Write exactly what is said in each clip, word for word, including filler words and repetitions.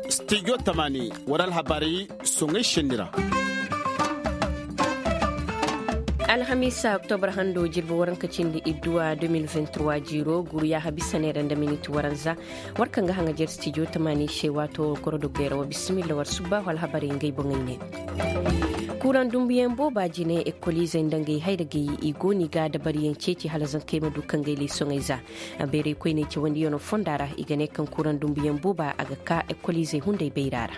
Studio tamani wara alhabaari soŋay senni ra. Alhamiisa oktobra hando jirbi waranka cindi idduwa deux mille vingt-trois jiiro guru yaaha bisa neera nda miniti waranza. War kaŋ ga haŋajer studio tamani se waato goro dogeera wa bisimilla war subba wala habarey ngey boŋey ne. Kuuraŋ dumbuyaŋ booba jine ekoliizey nda ngey hayragey i go no i ga dabariyaŋ ceeci hala zankey ma du ka ngey leesoŋey za. Beeray koyney cawandiyano fonda ra i ga ne kaŋ kuuraŋ dumbuyaŋ booba a ga ka ekoliizey hunday bayra ra.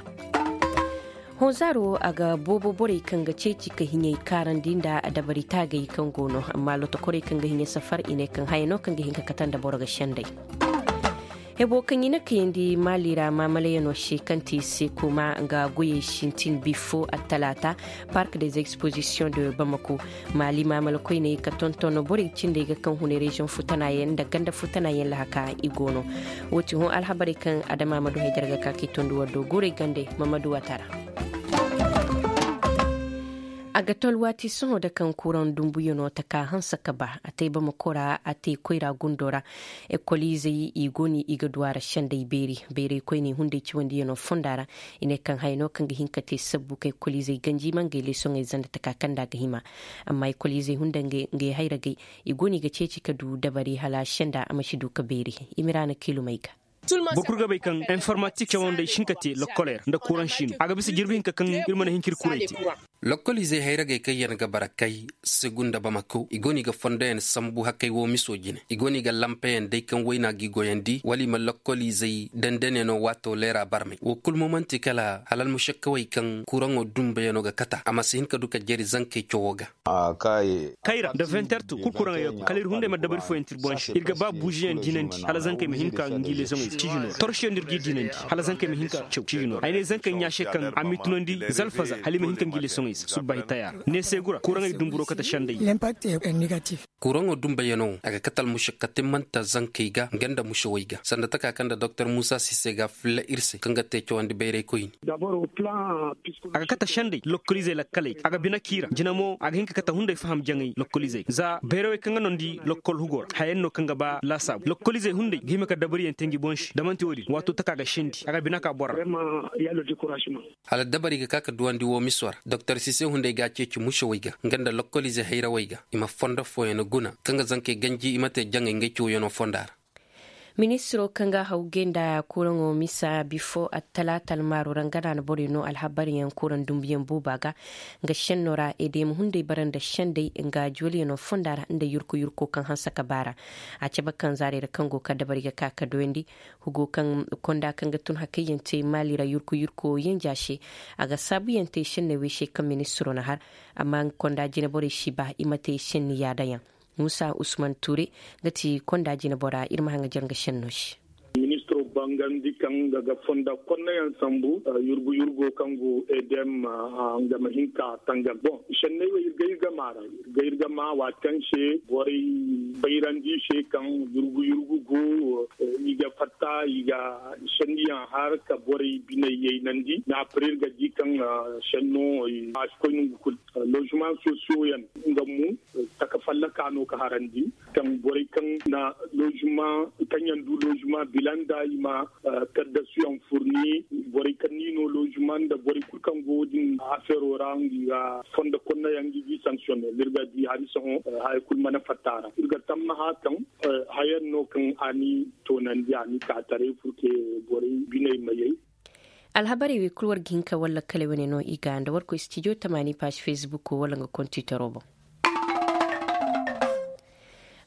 Honzaaro a ga boobo borey kaŋ ga ceeci ka hiɲey kaarandi nda dabari taagay kaŋ go no amma lotokorey kaŋ ga hiɲa safar i ne kaŋ haya no kaŋ ga hin ka kate nda boro ga sendey. Hebo kaŋ i na kayandi maali ra maamalayano se kaŋ ti se kuma nga goyey sintin bifo attalaata park des expositions de bamako. Maali maamala koyney ka tonton borey cindey ga kaŋ hunay reziyoŋ futanayaŋ nda ganda futanayaŋ lahaka i go no. Wo ti hõ alhabarey kaŋ adama ma du hay jarga ka k'i tondi war do guurey gandey mamadu watara. A ga to alwaati sohõ da kaŋ kuraŋ dumbuyaŋo taka hanse ka ba a te bamako ra a te koyra gundo ra. Ekoliizey i go no i ga du a ra sendey beeri. Bayray koyney hunday ciwandiyaŋo fonda ra i ne kaŋ haya no kaŋ ga hin ka te sabbu kaŋ ekoliizey ganji ma ngey leesoŋey zanda taka kaŋ nda a ga hima. Amma ekoliizey hunda ngey hayragey i go no i ga ceeci ka du dabari hala senda a ma si du ka beeri. Imiraana kiilumey ga. Boro kulu ga bay kaŋ informatik cawandey si hin ka te lokkoley ra nda kuraŋ si no a ga bisa jirbi hinka kaŋ iri mana hin ka iri kuray te. Lokkoliizey hayragey kaŋ yaŋ ga bara kay segu nda bamako i go no i ga fondoyaŋ sambu hakay wo miso jine i go no i ga lampeyaŋ day kaŋ wayna g'i goyandi wala i ma lokkoliizey dandane no waato leera barmay wo kulu mo manti kala hala almušakkawey kaŋ kuraŋo dumbayano ga kata a ma si hin ka du ka jari zankey cawo ga. Kayra nda vinterto kulu kuraŋey ga koy kala iri hunday ma dabari fooyaŋ te iri boŋ se iri ga ba buuziyaŋ dinandi hala zankey ma hin ka ngi leesoŋey se ciijino ra torosiyaŋ no iri g'i dinandi hala zankey ma hin ka caw ciijino ra ay ne zankey ɲa se kaŋ a m'i tunandi zalfaza hala i ma hin ka ngi leesoŋey se subbaahi taya ra neesegu ra kuraŋey dumburo kate sendey. Kuraŋo dumbayano a ga kate almušakka timmanta zankey ga nga nda mušawey ga sanda taka kaŋ nda doktor muusa sise ga filla iri se kaŋ ga te cawandi bayray koyne. A ga kate sendey lokkoliizey lakkaley a ga bine k'i ra jina mo a ga hin ka kate hunday faham jaŋay lokkoliizey za bayrawey kaŋ ga nondi lokkol hugo ra hayaŋ no kaŋ ga ba laasaabu lokkoliizey hunday ga hima ka dabariyaŋ te ngi boŋ se da manti wo- din waato taka ga sendi a ga bine ka boro ra. Hala dabari ga ka ka duwandi wo miso ra doktor sise hunday ga a ceeci mušawey ga nga nda lokkoliize hayrawey ga i ma fondo fooyaŋ guna kaŋ ga zankey ganji i ma te jaŋay ngey cawyaŋo fonda ra. Ministiro kaŋ ga haw gay nda kuraŋo misa bifo attalaata almaaro ra nga no a na borey no alhabaryaŋ kuraŋ dumbuyaŋ booba ga nga senno ra edema hunday bara nda sendey nga juwalyaŋo fonda ra nda yurku yurko kaŋ hanse ka baara. A cabe kaŋ zaarey ra kaŋ go ka dabari ga ka ka doyandi hugo kaŋ konda kaŋ ga tun hakayyaŋ te maali ra yurku yurko yanja se a ga saabuyaŋ te senney wey se kaŋ ministiro na har amma nga konda jine borey si ba i ma te senni yaadayaŋ. Muusa usman tuure nga ti konda jine bora iri ma haŋ ga jare nga senno se. Ministiro bangandi kaŋ nga ga fonda konnayaŋ sambu yurgu yurgo kaŋ go edem nga ma hin ka tangam boŋ senney wo iri ga iri ga maara iri ga iri ga ma waati kaŋ se borey bayrandi se kaŋ yurgu yurgu go i ga fatta i ga senniyaŋ har ka borey biney yaynandi na pare iri ga di kaŋ senno a si koy nangu kulu. Lozuman sosiyo yaŋ nga mo taka fallaka no ka harandi kaŋ borey kaŋ na lozuma kaŋ yaŋ du lozuma bila nda i ma kaddasuyaŋ furni borey kaŋ ni no lozuma nda borey kulu kaŋ go wo- din afeero ra nga i ga fondo konnayaŋ ga i ga i sankisiyone da iri ga di hari sohõ haya kulu mana fatta a ra iri ga tammaha kaŋ hayaŋ no kaŋ a ni toonandi a ni ka taray furke borey biney ma yay. Alhabarey wey kulu war ga hin ka walla kala wane no i ga nda war koy stijo tamaani paasi facebook wala nga kontitoro boŋ.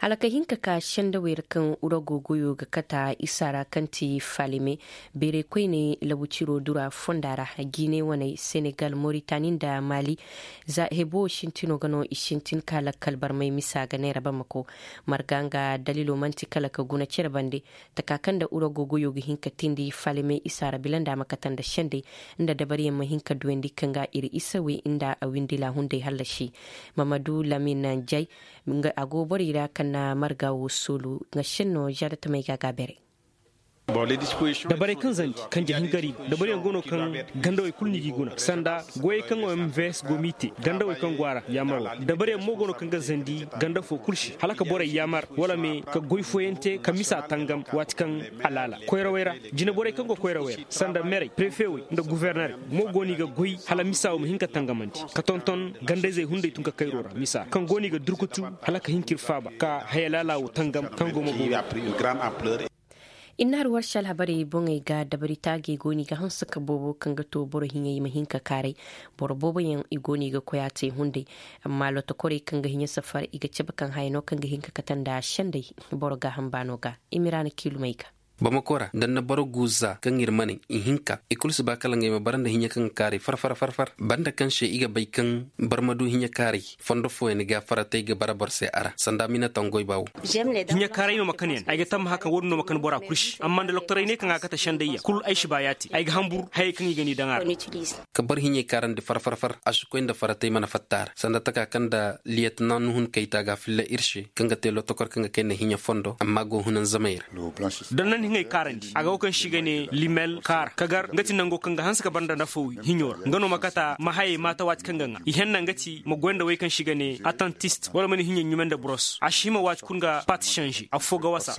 Hala ka hin ka ka sendawey ra kaŋ urago goyo ga kata isa ra kaŋ ti falime beeray koyne labu ciro dura fonda ra. Jiine waney senegal moritani nda mali za hebo sintino ga no i sintin ka lakkal barmay misa ga neera bamako. Marga nga dalilo manti kala ka guna cere bande taka kaŋ nda urago goyo ga hin ka tindi falimey isa ra bila nda a ma kate nda sendey nda dabariyaŋ ma hin ka duwandi kaŋ ga iri isawey nda a windi laahunday hallasi. Mamadu lamin jay a go borey ra kaŋ na marga wo soolu nga senno zaada tamey ga a ga beeray. Dabarey kaŋ zandi kanje hingari dabaryaŋ go no kaŋ gandawey kulu no i g'i guna sanda goyey kaŋ o m v s go m'i te gandawey kaŋ go a ra yaamaro. Dabaryaŋ mo go no kaŋ ga zandi ganda fo kulu se hala ka borey yaamar wala me ka goy fooyaŋ te ka misa tangam waati kaŋ a laala koyrawey ra. Jine borey kaŋ go koyrawey ra sanda merey prefewey nda guvernerey mo go no i ga goy hala misa wo ma hin ka tangamandi ka tonton gandayzey hunday tun ka kayro ra misa kaŋ go no i ga durkutu hala ka hin k'iri faaba ka haya laala wo tangam kaŋ go ma boori. Inna hari warse alhabarey boŋey ga dabari taagey go no i ga hanse ka boobo kaŋ ga to boro hiɲey ma hin ka kaaray. Boro boobo yaŋ i go no i ga koy a te hunday. Amma lotokorey kaŋ ga hiɲe safar i ga cabe kaŋ haya no kaŋ ga hin ka kate nda sendey boro gaaham baano ga. Imiraana kiilumey ga. Bamako ra da ni na boro guuza kaŋ iri ma naŋ ihinka i kulu si ba kala ngey ma bara nda hiɲe kaŋ ga kaaray far far far far banda kaŋ se i ga bay kaŋ barma du hiɲe kaaray. Fondo fooyaŋ ga faratay ga bara boro se a ra sanda mina tangoy ba wo. Hiɲa kaaray no ma kan yaŋ ay ga tamma haka wo- din no ma kan bora kulu se amma nda loktoray ne kaŋ a ga kate sendayyaŋ kulu ay si ba yaati ay ga hambur hayey kaŋ i ga ni daŋ a ra. Ka boro hiɲey kaarandi far far far a si koy nda faratay mana fatta a ra sanda taka kaŋ nda liyetina nuhun kayta ga filla iri se kaŋ ga te lotokor kaŋ ga kay nda hiɲa fondo amma go hunanzamey ra. Donnan hiŋey kaarandi a ga wo kaŋ se i ga ne limel kaara ka gar nga ti nango kaŋ ga hanse ka banda nda fo hiɲo ra nga no ma kata ma hayey maata waati kaŋ ga ŋwa i henna nga ti ma goy nda wey kaŋ se i ga ne atantist wala ma ni hiɲey ɲume nda buros a si hima waati kulu ga paati sanze affo ga wasa.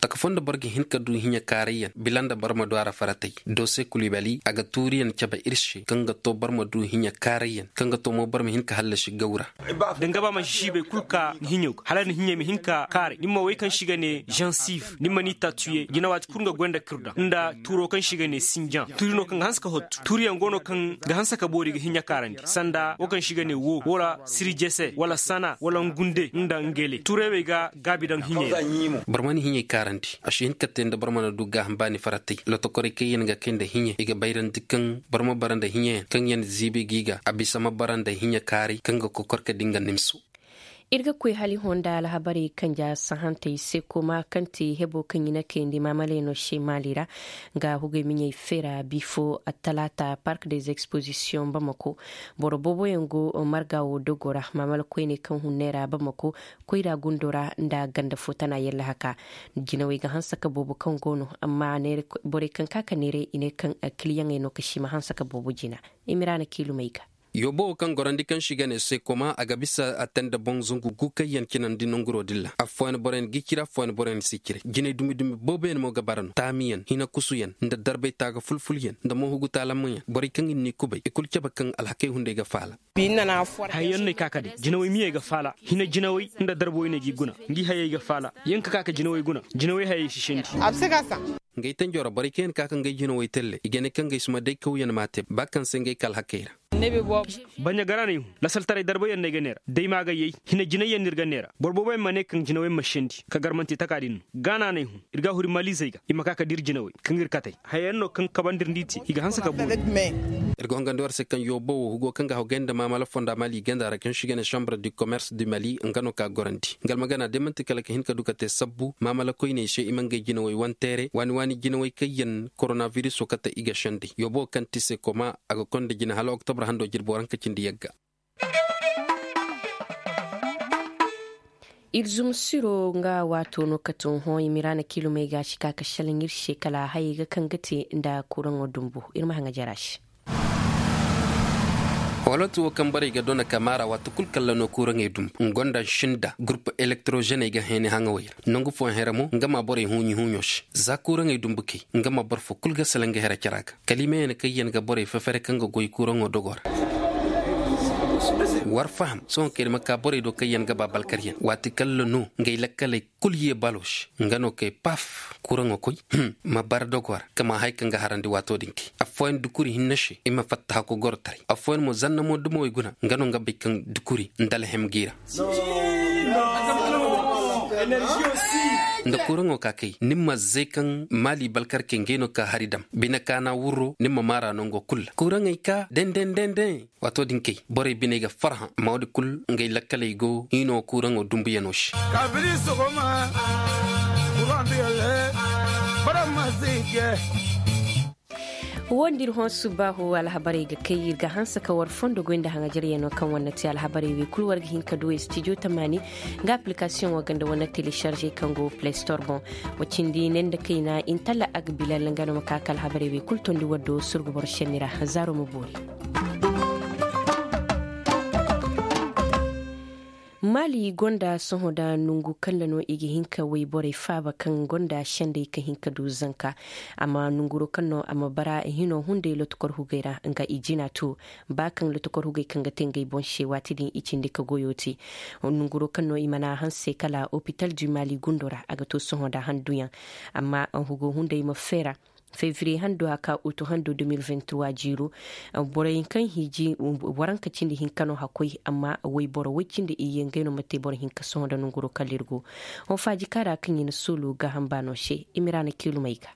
Taka fo nda boro ga hin ka du hiɲa kaarayyaŋ bila nda boro ma du a ra faratay doose kulibali a ga tuuriyaŋ cabe iri se kaŋ ga to boro ma du hiɲa kaarayyaŋ kaŋ ga to mo boro ma hin ka hallasi gaw ra. Da nga ba mansi siibay kulu ka ni hiɲo ga hala ni hiɲey ma hin ka kaaray ni ma wey kaŋ se i ga ne zansiv ni ma ni taatuye jina waati kulu nga goy nda kirda nda tuuro kaŋ se i ga ne sinjaŋ tuuri no kaŋ ga hanse ka hottu tuuriyaŋ go no kaŋ ga hanse ka boori ga hiɲa kaarandi sanda wo kaŋ se i ga ne wo wala sirijese wala sana wala ngunde nda ngele tuuray wey ga gaabi daŋ hiɲey ra. Boro mana hiɲey kaarandi a si hin ka te nda boro mana du gaaham baani faratay lotokorey kaŋ yaŋ ga kay nda hiɲe i ga bayrandi kaŋ boro ma bara nda hiɲeyaŋ kaŋ yaŋ ziibi g'i ga a bisa ma bara nda hiɲe kaaray kaŋ ga kokor ka di nga nimso. Iri ga koy hala i honda alhabarey kanja sahantey se kooma kaŋ ti hebo kaŋ i na kayandi maamalayaŋo se maali ra. Nga hugey miɲey feera bifo attalaata park des expositions bamako. Boro boobo yaŋ go marga wo dogo ra maamala koyney kaŋ hunne ra bamako koyra gundo ra nda ganda fo tana yalla haka. Jinawey ga hanse ka boobo kaŋ go no amma borey kaŋ ka ka neeray i ne kaŋ kiliyaŋey no ka si ma hanse ka boobo jina. Imiraana kiilumey ga. Yoobo wo kaŋ gorandi kaŋ se i ga ne sekoma a ga bisa a te nda boŋ zangu gu kaŋ yaŋ cinandi nanguro din ra. Affooyaŋ boroyaŋ g'i cire affooyaŋ boroyaŋ si cire jinay dumi dumi booboyaŋ mo ga bara no taamiyaŋ hina kusuyaŋ nda darbay taaga fulfulyaŋ nda moohugu taalammayaŋ borey kaŋ i na ni kubay i kulu cabe kaŋ alhakey hunday ga faala. Hayey yaŋ no ay ka ka day jinawey miyey ga faala hina jinawey nda darbo i ne g'i guna. Ngi hayey ga faala yaŋ ka ka ka jinawey guna. Jinawey hayey si sendi. Ngey tanjo ra borey kaŋ yaŋ ka ka ngey jinawey telle i ga ne kaŋ ngey si ma day kawyaŋ m'a te ba kaŋ se ngey ka alhakey ra. Baɲa gara no ay hun lasaltaray darbayaŋ no ay ga neera day ma ga yay hina jinayyaŋ no iri ga neera boro booboyaŋ ma ne kaŋ jinawey ma sendi ka gar manti taka din no. Gaana no ay hun iri ga a huri maliizey ga i ma ka ka dira jinawey kaŋ iri katey. Hayayaŋ no kaŋ kabandi iri nda i te i ga hanse ka boori. Iri ga hongandi war se kaŋ yoobo wo hugo kaŋ ga hawgay nda maamala fonda mali ganda ra kaŋ si ga ne chambre du commerce du mali nga no ka gorandi nga almagana day manti kala ka hin ka du ka te sabbu maamala koyney se i ma ngey jinawey wanteere waani waani jinawey kaŋ yaŋ koronabiriso kate i ga sendey yoobo kaŋ ti se koma a ga konda jina hala oktobre hando jirbo ra nga ka cindi yagga. Iri zuma siro nga waato no ka tun hõ i ma iri a na kiilumey ga si ka ka salaŋ iri se kala hayey ga kaŋ ga te nda kuraŋo dumbu. Iri ma haŋa jara se. Walooti wo kaŋ borey ga dona ka maara waati kulu kalla no kuraŋey dumbu nga gonda sinda gurpu elektrozeney ga heeni haŋawey ra nangu fooyaŋ hera mo nga ma borey huuɲi huuɲo se. Za kuraŋey dumbu kay nga ma boro fo kulu ga salaŋ ga hera cara ga kala i ma yaŋ kaŋ yaŋ ga borey fefere kaŋ ga goy kuraŋo dogo ra. War faham sohõ kaŋ iri ma ka borey do kaŋ yaŋ ga ba balkaryaŋ waati kalla no ngey lakkaley kulu ye balo se nga no kay paf kuraŋo koy ma bara dogo ra ka ma hari kaŋ ga harandi waato din kay. Affooyaŋ dukuri hinne se i ma fatta hako gorotaray affooyaŋ mo zanna mo dumawey guna nga no nga bay kaŋ dukuri nda alhem g'i ra. Nda kuraŋo ka kay ni ma zay kaŋ maali balkarkey ngey no ka hari dam bine kaana wurro ni ma maara nango kulu ra kuraŋey ka denden denden. Waato din kay borey biney ga farhã amma wo- din kulu ngey lakkaley go hiino kuraŋo dumbuyaŋo se. Kaabiri sogoma kuraŋ duyalle bara ma zay je. Wo nda iri hõ subbaahu alhabarey ga kay iri ga hanse ka war fondo goy nda haŋajaryaŋo kaŋ war na te alhabarey wey kulu war ga hin ka du studio tamaani nga application wo ganda war na télécharger kaŋ go play store boŋ. Wa cindi ne nda kayna intalla agbilal nga no ma ka ka alhabarey wey kulu tondi war do surgu boro senni ra. Zaaro ma boori. Maali gonda sohõ da nongu kaŋ ra no i ga hin ka wayborey faaba kaŋ gonda sendey ka hin ka du zanka. Amma nonguro kaŋ no a ma bara hino hunday lotokor hugey ra nga i jina to ba kaŋ lotokor hugey kaŋ ga te ngey boŋ se waati din i cindi ka goyo te. Nonguro kaŋ no i mana hanse kala opital du maali gundo ra a ga to sohõ da handuyaŋ. Amma hugo hunday ma feera fevrier hando a ka utu hando deux mille vingt-trois jiiro. Borey kaŋ hiji waranka cindi hinka no hakkoy amma wayboro way cindi iyye ngey no ma te boro hinka sohõ nda nonguro kala iri go. Hõ faaji kaara kaŋ i na soolo gaaham baano se i ma ra na kiilumey ga.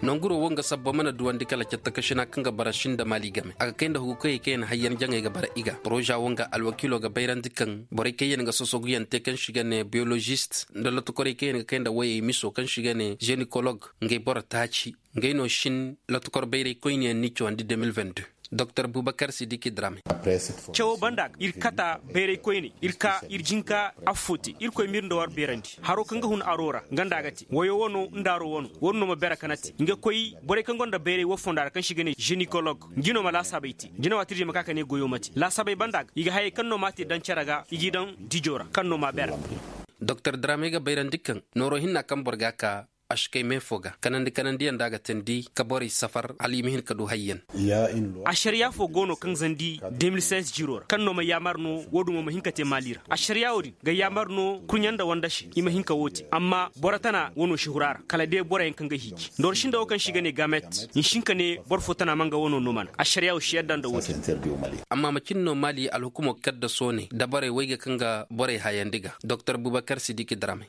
Nanguro wo nga sabbo mana duwandi kala catta kasina kaŋ ga bara sinda maali game a ga kay nda hugu koyey kaŋ yaŋ hayyan jaŋey ga bara i ga poroza wo nga alwakiilo ga bayrandi kaŋ borey kaŋ yaŋ ga sosogu yaŋ te kaŋ si ga ne biyolozist nda lotokorey kaŋ yaŋ ga kay nda wayey miso kaŋ si ga ne zenikolog ngey boro taaci. Ngey no sin lotokor bayray koyne yaŋ ni cawandi deux mille vingt-deux. Doktor bubakar sidiki drame. Cawo banda iri kata bayray koyne iri ka iri jinka affo te irkoy m'iri nda war beerandi haro kaŋ ga hun aro ra nga nda a ga te wayo wano nda aro wano wano no ma beera kana te nga koy borey kaŋ gonda bayray wo fonda ra kaŋ si ga ne zenikolog. Jino ma laasaabay te jina waati iri ma ka ka ne goyo ma te laasaabay banda ga i ga hayey kaŋ no m'a te daŋ care ga i g'i daŋ dijo ra kaŋ no m'a beera. Doktor drame ga bayrandi kaŋ nooro hinna kaŋ boro ga a ka a si kay me fo ga kanandi kanandiyaŋ da a ga teendi ka borey safar hala i ma hin ka du hayyaŋ. Asariya fo go no kaŋ zandi deux mille seize jiro ra kaŋ no ma yaamar no wo- din wo ma hin ka te maali ra asariya wo- din ga yaamar no kurɲa nda wanda se i ma hin ka wo te amma boro tana wano si huru a ra kala day boroyaŋ kaŋ ga hiiji nda war sinda wo kaŋ se i ga ne gamet i si hin ka ne boro fo tana ma nga wano no mana asariya wo si yadda nda wo- din. Amma macin no maali alhukumo kaddaso ne dabarey wayga kaŋ ga borey hayandi ga doktor bubakar sidiki dramay.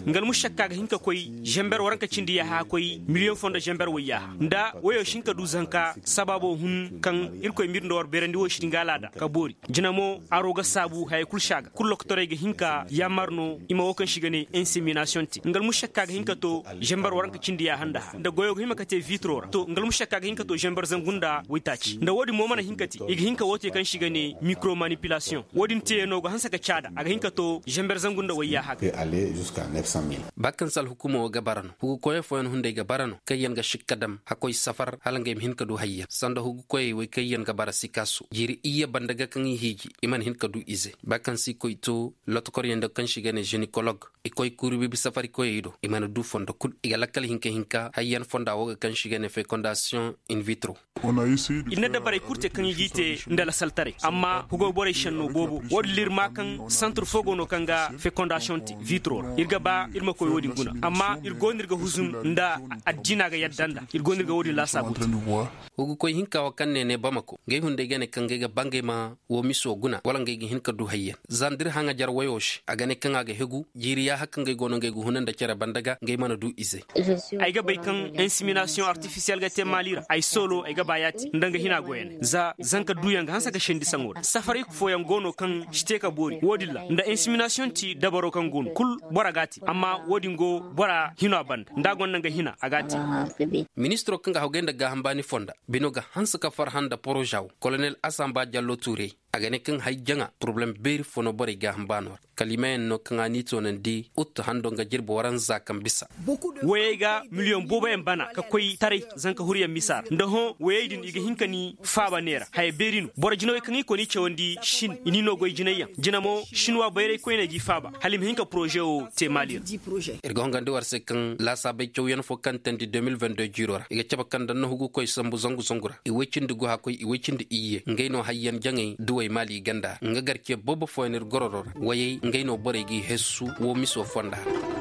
Nga almushakka ga hin ka koy zember waranka cindi yaaha koy miliyoŋ fo nda zember wayyaaha nda wayo si hin ka du zanka sabaabo hun kaŋ irkoy m'iri nda war beerandi wo si din ga alaada ka boori. Jina mo aro ga saabu hayey kulu si a ga kulu lokotorey ga hin ka yaamar no i ma wo kaŋ si ga ne inseminasiyoŋ te nga almushakka ga hin ka to zember waranka cindi yaaha nda ha nda goyo ga hima ka te vitro ra to nga almushakka ga hin ka to zember zangu nda waytaaci nda wo- din mo mana hin ka te i ga hin ka wo te kaŋ si ga ne mikromanipilasiyoŋ. Wo- din teeyaŋo ga hanse ka caada a ga hin ka to zember zangu nda wayyaaha ga. Ba kaŋ se alhukumo ga bara no hugu koyey fooyaŋ hunday ga bara no kaŋ yaŋ ga sikka dam hakkoy safar hala ngey ma hin ka du hayyaŋ sanda hugu koyey wey kaŋ yaŋ ga bara sikaaso jiiri iyye banda ga kaŋ i hiiji i mana hin ka du ize ba kaŋ se i koy to lotokoryaŋ do kaŋ se i ga ne zenikolog i koy kuuru biibi safari koyey do i mana du fondo kulu i ga lakkal hinka hinka hayyaŋ fonda wo ga kaŋ se i ga ne fekondasiyoŋ invitro. Iri na dabarey kulu te kaŋ i g'i te nda lasaltaray amma hugo borey senno boobo wo- din ra iri ma kaŋ santur fo go no kaŋ ga fekondasiyoŋ te vitro ra iri ga ba iri ma koy wo- din guna amma iri go no iri ga huzum nda addiina ga yadda nda iri go no iri ga wo- din laasaabu te. Hugu koy hinka wo kaŋ ne ne bamako ngey hunday ga ne kaŋ ngey ga ba ngey ma wo miso guna wala ngey ga hin ka du hayyaŋ za nda iri haŋajar wayo se a ga ne kaŋ a ga hegu jiiri yaaha kaŋ ngey go no ngey ga huna nda care banda ga ngey mana du ize. Ay ga bay kaŋ inseminasiyoŋ artifisiyel ga te maali ra ay soolo ay ga ba yaati nda nga hina goyane za zanka duyaŋ ga hanse ga sendi saŋo ra safaray fooyaŋ go no kaŋ si te ka boori wo- din ra nda inseminasiyoŋ ti dabaro kaŋ go no kulu bora ga a te amma wo- din go bora hino a banda nda a gonda nga hina a ga a te. Ministiro kaŋ ga hawgay nda gaaham baani fonda bino ga hanse ka farhã nda poroza wo kolonel asamba jallo tuurey a ga ne kaŋ hari jaŋa porobalem beeri fo no borey gaaham baano ra kalimayaŋ no kaŋ a n'i toonandi uttu hando nga jirbi waranza kaŋ bisa. Wayey ga miliyoŋ booboyaŋ bana ka koy taray zanka huryaŋ misa ra nda hõ wayey din i ga hin ka ni faaba neera haya beeri no boro jinawey kaŋ i koni cawandi sin i n'i no goy jinayyaŋ jina mo sinwa bayray koyney g'i faaba hala i ma hin ka poroze wo te maali ra. Iri ga hongandi war se kaŋ laasaabey cawyaŋ fo kaŋ teendi deux mille vingt-deux jiiro ra i ga cabe kaŋ da nahugu koy sambu zangu zangu ra i way cindi go hakkoy i way cindi iyye ngey no hayyaŋ jaŋey duwey maali ganda ra nga garce boobo fooyaŋ iri gororo ra wayey ngey no borey g'i hessu wo miso fonda ra.